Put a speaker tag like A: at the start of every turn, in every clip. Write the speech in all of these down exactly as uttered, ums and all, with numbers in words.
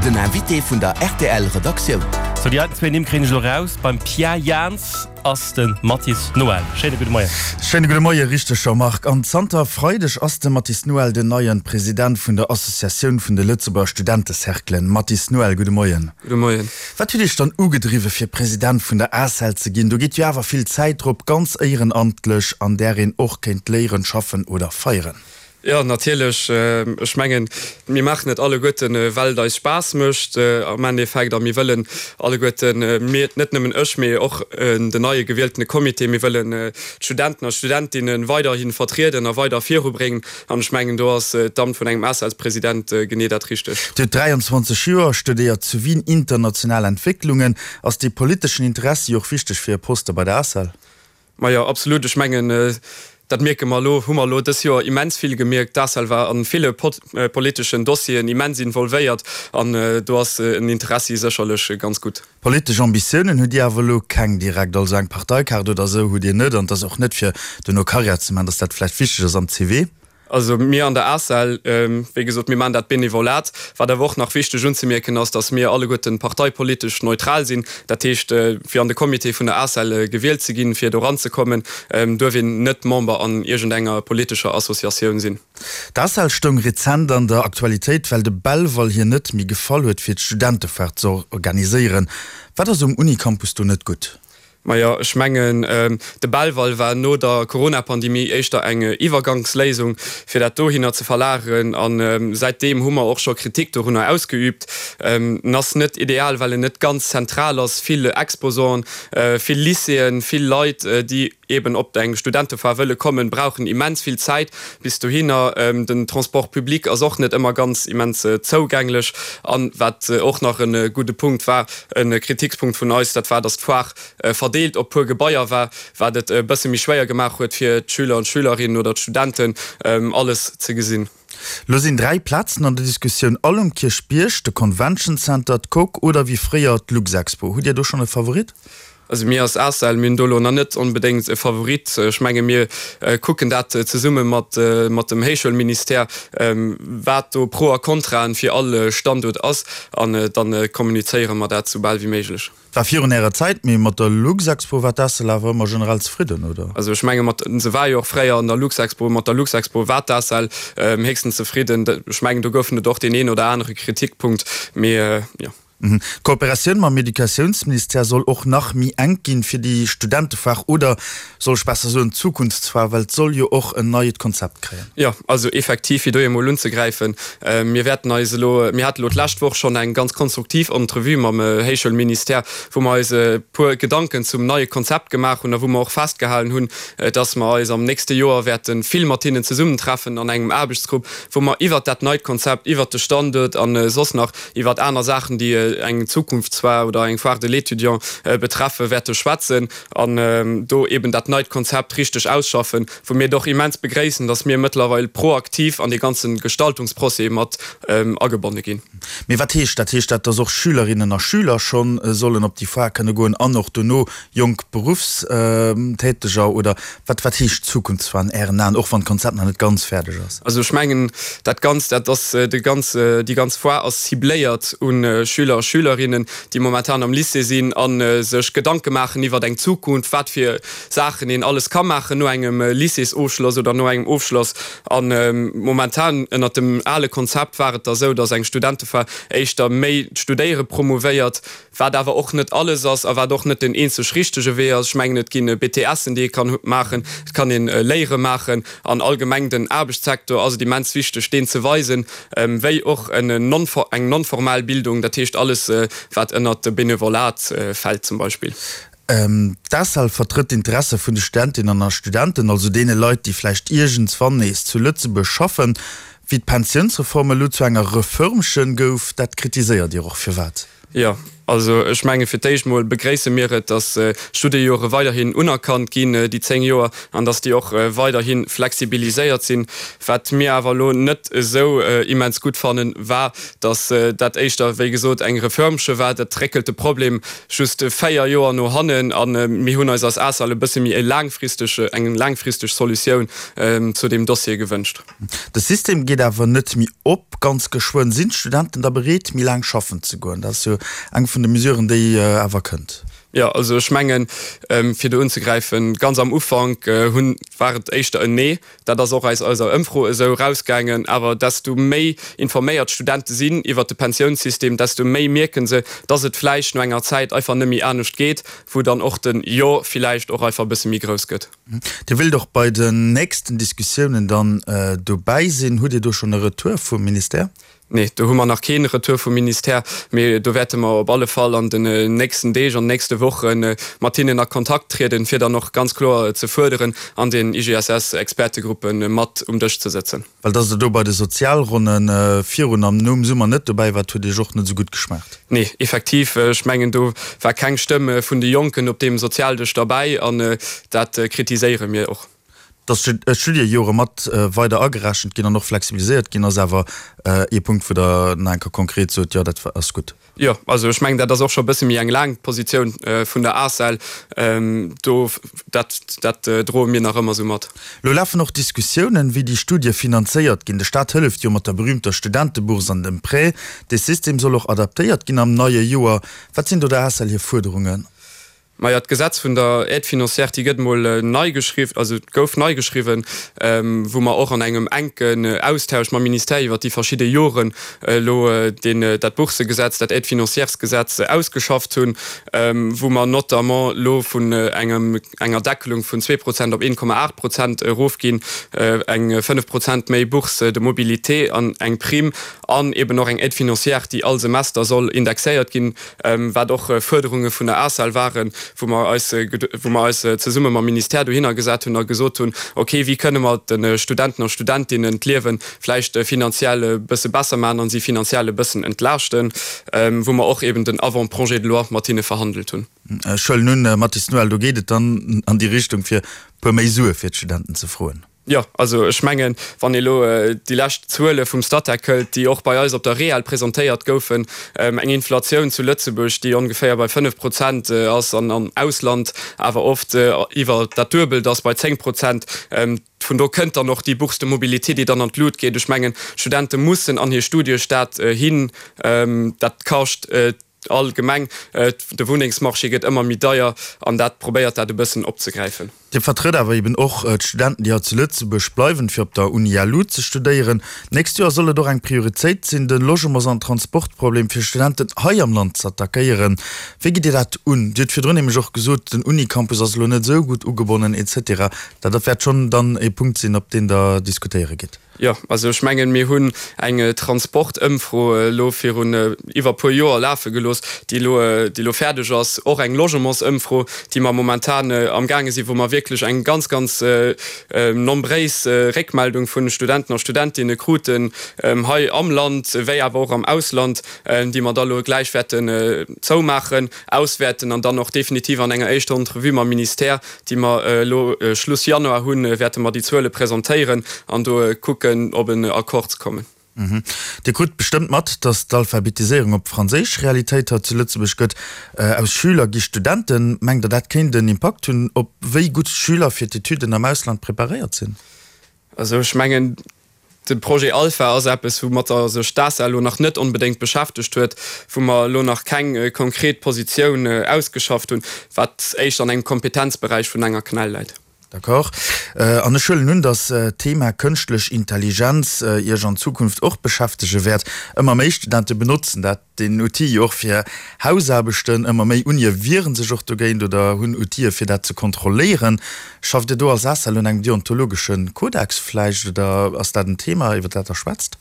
A: Den Invité vun der R T L Redaktioun.
B: Sou, déi heiten zwee Nimm kréien ech elo raus. Beim Pierre Jans ass de Mathis Noël. Schéine gudde Moien.
C: Schéine gudde Moie, richteg, Jean-Marc. An zanter Freideg ass de Mathis Noël den neie President vun der Associatioun vun de Lëtzebuerger Studentecerclen. Mathis Noël, gudde Moien.
D: Gudde Moien.
C: Wat huet Iech dann ugedriwwe fir President vun der A C E L ze ginn? Do geet jo awer vill Zäit drop, ganz éierenamtlech, an där een och kéint léieren, schaffen oder feieren.
D: Jo, natierlech. Ech mengen, mir maachen et alleguerten, well et eis Spaass mécht am Endeffekt a mir wëllen alleguerten, mir, net nëmmen ech, mee och den neie gewieltene Comité, mir wëllen d'Studenten a Studentinne weiderhi vertrieden a weider virubréngen. An ech mengen, do ass d'Amt vun engem ACELs-President genee dat Richtegt.
C: Dir hutt dräianzwanzeg Joer, studéiert zu Wien international Entwécklungen. Ass dee politeschen Interessi och wichteg fir e Poste bei der A C E L?
D: Majo, absolut. Ech mengen, dat mierke mer elo, hu mer elo dës Joer immens vill gemierkt. D'A C E L war a ville politeschen Dossieren immens involvéiert an do ass en Interessi sécherlech ganz gutt.
C: Politesch Ambitiounen hutt Dir awer elo keng direkt, also eng Parteikaart oder esou hutt Dir net an et ass och net fir duerno Karriär ze maachen, dass dat vläicht wichteg ass am C V?
D: Also mir an der A C E L, wéi gesot, mir maachen dat Benevolat. Wat awer och nach wichteg unzemierken ass, datt mir alleguerten parteipolitesch neutral sinn. Dat heescht, fir an de Comité vun der A C E L gewielt ze ginn, fir do eranzekommen, duerf een net Member an iergendenger politescher Associatioun sinn.
C: D'A C E L stoung rezent an der Aktualitéit, well de Belval hir net méi gefall huet, fir d'Studentefoire ze organiséieren. Wat ass um Unicampus do net gutt?
D: Majo, ech mengen, de Belval war no der Corona-Pandemie éischter eng Iwwergangsléisung, fir dat dohinner ze verlageren. A säitdeem hu mer och scho Kritik dorunner ausgeüübt. En ass net ideal, well en net ganz zentral ass. Vill Exposanten, vill Lycéeën, vill Leit, déi eeben op eng Studentefoire wëlle kommen, brauchen immens vill Zäit bis dohinner. Den Transport public ass och net ëmmer ganz immens zougänglech. An wat och nach e gudde Punkt war, e Kritikspunkt vun eis, dat war, datt d'Foire verdeelt op puer Gebaier war, wat et e bësse méi schwéier gemaach huet fir d'Schüler an d'Schülerinnen oder d'Studenten, alles ze gesinn.
C: Lo sinn dräi Plazen an der Diskussioun, all um Kierchbierg, de Convention Center, d'Coque oder wéi fréier d'Luxexpo. Hutt Dir do schonn e Favorit?
D: Also mir als A C E L, mir hunn do elo nach net onbedéngt e Favorit. Ech menge mir kucken dat zesumme mat mat dem Héichschoulministère, wat do Pro a Kontraen fir all Standuert ass an dann kommunizéiere mer dat soubal wéi méiglech.
C: War virun Ärer Zäit, mee mat der Luxexpo war d'A C E L awer ëmmer generell zefridden, oder?
D: Also ech menge mat, se war jo och fréier an der Luxexpo, mat der Luxexpo war d'A C E L héchstens zefridden. Ech mengen do goufen et och deen een oder anere Kritikpunkt, mee jo.
C: D'Kooperatioun mam Educatiounsministère soll och nach méi enk ginn fir déi Studentefoire oder soll ech besser soen d'Zukunftsfoire, well et soll jo och en neit Konzept kréien.
D: Jo, also effektiv, fir do emol unzegräifen, mir wäerten eis elo, mir hate elo d'lescht Woch schonn eng ganz konstruktiv Entrevue mam Héichschoulministère, wou mer eis e puer Gedanken zum neie Konzept gemaach hunn a wou mer och festgehalen hunn, dass mer eis am nächste Joer wäerte vill mat hinnen zesummentreffen an engem Aarbechtsgrupp, wou mer iwwert dat neit Konzept, iwwert de Standuert a soss nach iwwert aner Saachen, déi eng Zukunftsfoire oder eng Foire de l'étudiant betreffen, wäerte schwätzen an do eben dat neit Konzept richteg ausschaffen, wou mir et och immens begréissen, dass mir mëttlerweil proaktiv an dee ganze Gestaltungsprocès mat agebonne ginn.
C: Mee wat heescht dat? Heescht dat, dass och Schülerinnen a Schüler scho sollen op déi Foire kënne goen an och dono jonk Beruffstäteger? Oder wat, wat heescht Zukunftsfoire an Ären Aen, och wann d'Konzept nach net ganz fäerdeg ass?
D: Also ech mengen, dat Ganzt, dat ass de ganz, déi ganz Foire ass cibléiert un Schüler a Schülerinnen, déi momentan am Lycée sinn a sech Gedanke maachen iwwert eng Zukunft, wat fir Saachen een alles ka maachen no engem Lycéesofschloss oder no engem Ofschloss. A momentan ënnert dem ale Konzept war et da sou, datt eng Studentefoire éischter méi d'Studéiere promouvéiert, wat awer och net alles ass a wat och net den eenzeg richtege Wee ass. Ech mengen, et ginn B T Sen, déi ee kann maachen, et kann een Léiere maachen an allgemeng den Aarbechtssektor ass et immens wichteg, deen ze weisen, wéi och eng non-formal Bildung, dat heescht alles, wat ënnert de Benevolat fält zum Beispill.
C: D'A C E L vertrëtt d'Interesse vun de Studentinnen a Studenten, also deene Leit, déi vläicht iergendswann nees zu Lëtzebuerg schaffen. Wéi d'Pensiounsreform elo zu enger Reförmchen gouf, dat kritiséiert Dir och. Firwat?
D: Jo, also ech menge fir d'éischt mol begréisse mir et, datt d'Studiejore weiderhin unerkannt ginn, déi zéng Joer, an datt déi och weiderhi flexibiliséiert sinn. Wat mir awer elo net esou immens gutt fannen, war, datt dat éischter, wéi gesot, eng Reförmche war. Dat réckelt de Problem just véier Joer no hannen a mir hunn eis als ACEL e bësse méi e laangfristege, eng laangfristeg Solutioun zu deem Dossier gewënscht.
C: De System geet awer net méi op. Ganz geschwënn sinn d'Studenten da bereet, méi laang schaffen ze goen. Dat ass jo eng vun de Mesuren, déi awer kënnt.
D: Jo, also ech mengen, fir do unzegräifen, ganz am Ufank hunn, war et éischter en Nee. Dat ass och aus eiser Ëmfro esou erausgaangen. Awer desto méi informéiert d'Studente sinn iwwert de Pensiounssystem, desto méi mierke se, dass et vläicht no enger Zäit einfach net méi anescht geet, wou dann och den Jo vläicht och einfach e bësse méi grouss gëtt.
C: Dir wëllt och bei den nächsten Diskussiounen dann dobäi sinn. Hutt Dir do schonn e Retour vum Ministère?
D: Nee, do hu mer nach kee Retour vum Ministère, mee do wäerte mer op alle Fall an den nächsten Deeg, an den nächste Woche mat hinnen a Kontakt trieden, fir dann och ganz kloer ze fuerderen, an den I G S S-Expertegruppe mat um Dësch ze sëtzen.
C: Well dass Der do bei de Sozialronne virun an nom Summer net dobäi waart, huet Iech och net esou gutt geschmaacht?
D: Nee, effektiv. Ech mengen, do war keng Stëmm vun de Jonken op deem Sozialdësch derbäi an dat kritiséiere mir och.
C: Dass d'Studiejore mat weider agerechent ginn an och flexibiliséiert ginn, ass awer ee Punkt, wou Der nach eng Kéier konkret sot, Jo, dat ass gutt.
D: Jo, also ech mengen, dat ass och scho e bësse méi eng laang Positioun vun der ACEL. Do, dat, dat droe mir nach ëmmer esou mat.
C: Lo lafen och Diskussiounen, wéi déi Studie finanzéiert ginn. De Staat hëlleft jo mat der berühmter Studentebourse an dem Prêt. Dee System soll och adaptéiert ginn am neie Joer. Wat sinn do der ACEL hir Fuerderungen?
D: Maja, d'Gesetz vun der Aide financière, déi gëtt emol nei geschriww, also gouf nei geschriwwen, wou mer och an engem enken Austausch mam Ministère iwwert déi verschidde Joren elo deen, dat Boursegesetz, dat Aide-financièresgesetz ausgeschafft hunn, wou mer notamment elo vun engem, enger Deckelung vun zwee Prozent op een Komma aacht Prozent erofginn, eng fënnef Prozent méi Bourse de mobilité an eng Prime an eben och eng Aide financière, déi all Semester soll indexéiert ginn, wat och Fuerderunge vun der ACEL waren, wou mer eis, wou mer eis zesumme mam Ministère dohinner gesat hunn a gesot hunn, okay, wéi kënne mer de Studenten a Studentinnen d'Liewe vläicht finanziell e bësse besser maachen a si finanziell e bëssen entlaaschten, wou mer och eben den Avant-projet de loi mat hinne verhandelt hunn.
C: Ech huelen un, Mathis Noël, do geet et dann an déi Richtung, fir e puer méi Sue fir d'Studenten ze froen.
D: Jo, also ech mengen, wann ee elo déi lescht Zuele vum Statec hëlt, déi och bei eis op der REEL presentéiert goufen, eng Inflatioun zu Lëtzebuerg, déi ongeféier bei fënnef Prozent ass an am Ausland awer oft iwwer dat Duebelt ass, bei zéng Prozent, vun do kënnt dann och déi Bourse de mobilité, déi dann an d'Lut geet. Ech mengen, d'Studente mussen an hir Studiestad hin, dat kascht. Allgemeng, de Wunnengsmarché gëtt ëmmer méi deier an dat probéiert dat e bëssen opzegräifen.
C: Dir vertrëtt awer eben och d'Studenten, déi hei zu Lëtzebuerg bleiwen, fir op der Uni L U ze studéieren. D'nächst Joer soll et och eng Prioritéit sinn, de Logements an Transportproblem fir Studenten hei am Land z'attackéieren. Wéi gitt Dir dat un? Dir hutt virdrun nämlech och gesot, den Unicampus ass elo net esou gutt ugebonnen et cetera. Dat wäert schonn dann e Punkt sinn, op deen Der diskutéiere gitt.
D: Jo, also ech mengen, mir hunn eng Transportëmfro elo virun iwwer e puer Joer lafe gelooss, déi elo, déi elo fäerdeg ass. Och eng Logementsëmfro, déi mer momentan amgaange sinn, wou mer wierklech eng ganz, ganz nombréis Réckmeldung vu Studenten a Studentinne kruten, hei am Land wéi awer och am Ausland, déi mer da elo gläich wäerten zoumaachen, auswäerten an dann och definitiv an enger éischter Entrevue mam Ministère, déi mer elo Schluss Januar hunn, wäerte mer déi Zuele presentéieren an do kucken, op en Accord ze kommen.
C: Dir krut bestëmmt mat, datt d'Alphabetiséierung op Franséisch Realitéit hei zu Lëtzebuerg gëtt. Aus Schüler gi Studenten. Mengt Der, dat kéint en Impakt hunn, op wéi gutt d'Schüler fir d'Etüden am Ausland preparéiert sinn?
D: Also ech mengen, de Projet Alpha ass eppes, woumatter sech d'ACEL elo nach net onbedéngt beschäftegt huet, wou mer elo nach keng konkret Positioun ausgeschafft hunn, wat éischter an engem Kompetenzberäich vun enger CNEL läit.
C: D'accord. An ech huelen un, datt d'Thema kënschtlech Intelligenz Iech an Zukunft och beschäftege wäert. Ëmmer méi Studente benotzen dat, deen Outil jo och fir Hausaarbechten. Ëmmer méi Unie wiere sech och dogéint oder hunn Outile fir dat ze kontrolléieren. Schafft Dir do als ACEL un engem deontologesche Kodex vläicht oder ass dat en Thema, iwwer dat Der schwätzt?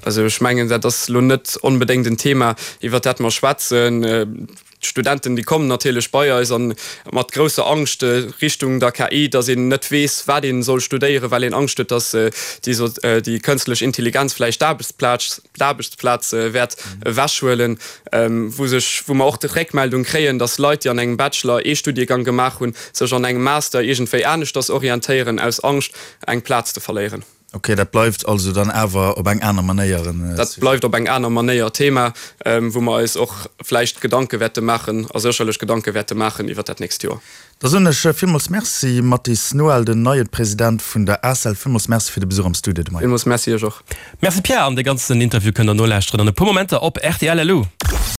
D: Also ech mengen, dat ass elo net onbedéngt en Thema, iwwert dat mer schwätzen. D'Studenten, déi kommen natierlech bei eis a mat grousser Angscht Richtung der K I, datt een net weess, wat ee soll studéieren, well een Angscht huet, datt déi kënstlech Intelligenz vläicht d'Aarbechtsplaz wäert ewechhuelen, wou sech, wou mer och d'Réckmeldung kréien, datt Leit, déi an engem Bachelor ee Studiegang gemaach hunn, sech an engem Master iergendwéi aneschters orientéieren, aus Angscht, eng Plaz ze verléieren.
C: Ok, dat bleift also dann awer op eng aner Manéier en.
D: Dat bleift op eng aner Manéier Thema, wou mer eis och vläicht Gedanke wäerte maachen a sécherlech Gedanke wäerte maachen iwwert dat nächst Joer.
C: Da soen ech villmools Merci, Mathis Noel, den neie President vun der ACEL. Villmools Merci fir de Besuch am Studio de Moien.
D: Villmools Merci Iech och.
B: Merci Pierre, an de ganzen Interview kënnt der nolauschteren an e puer Momenter op R T L Lu.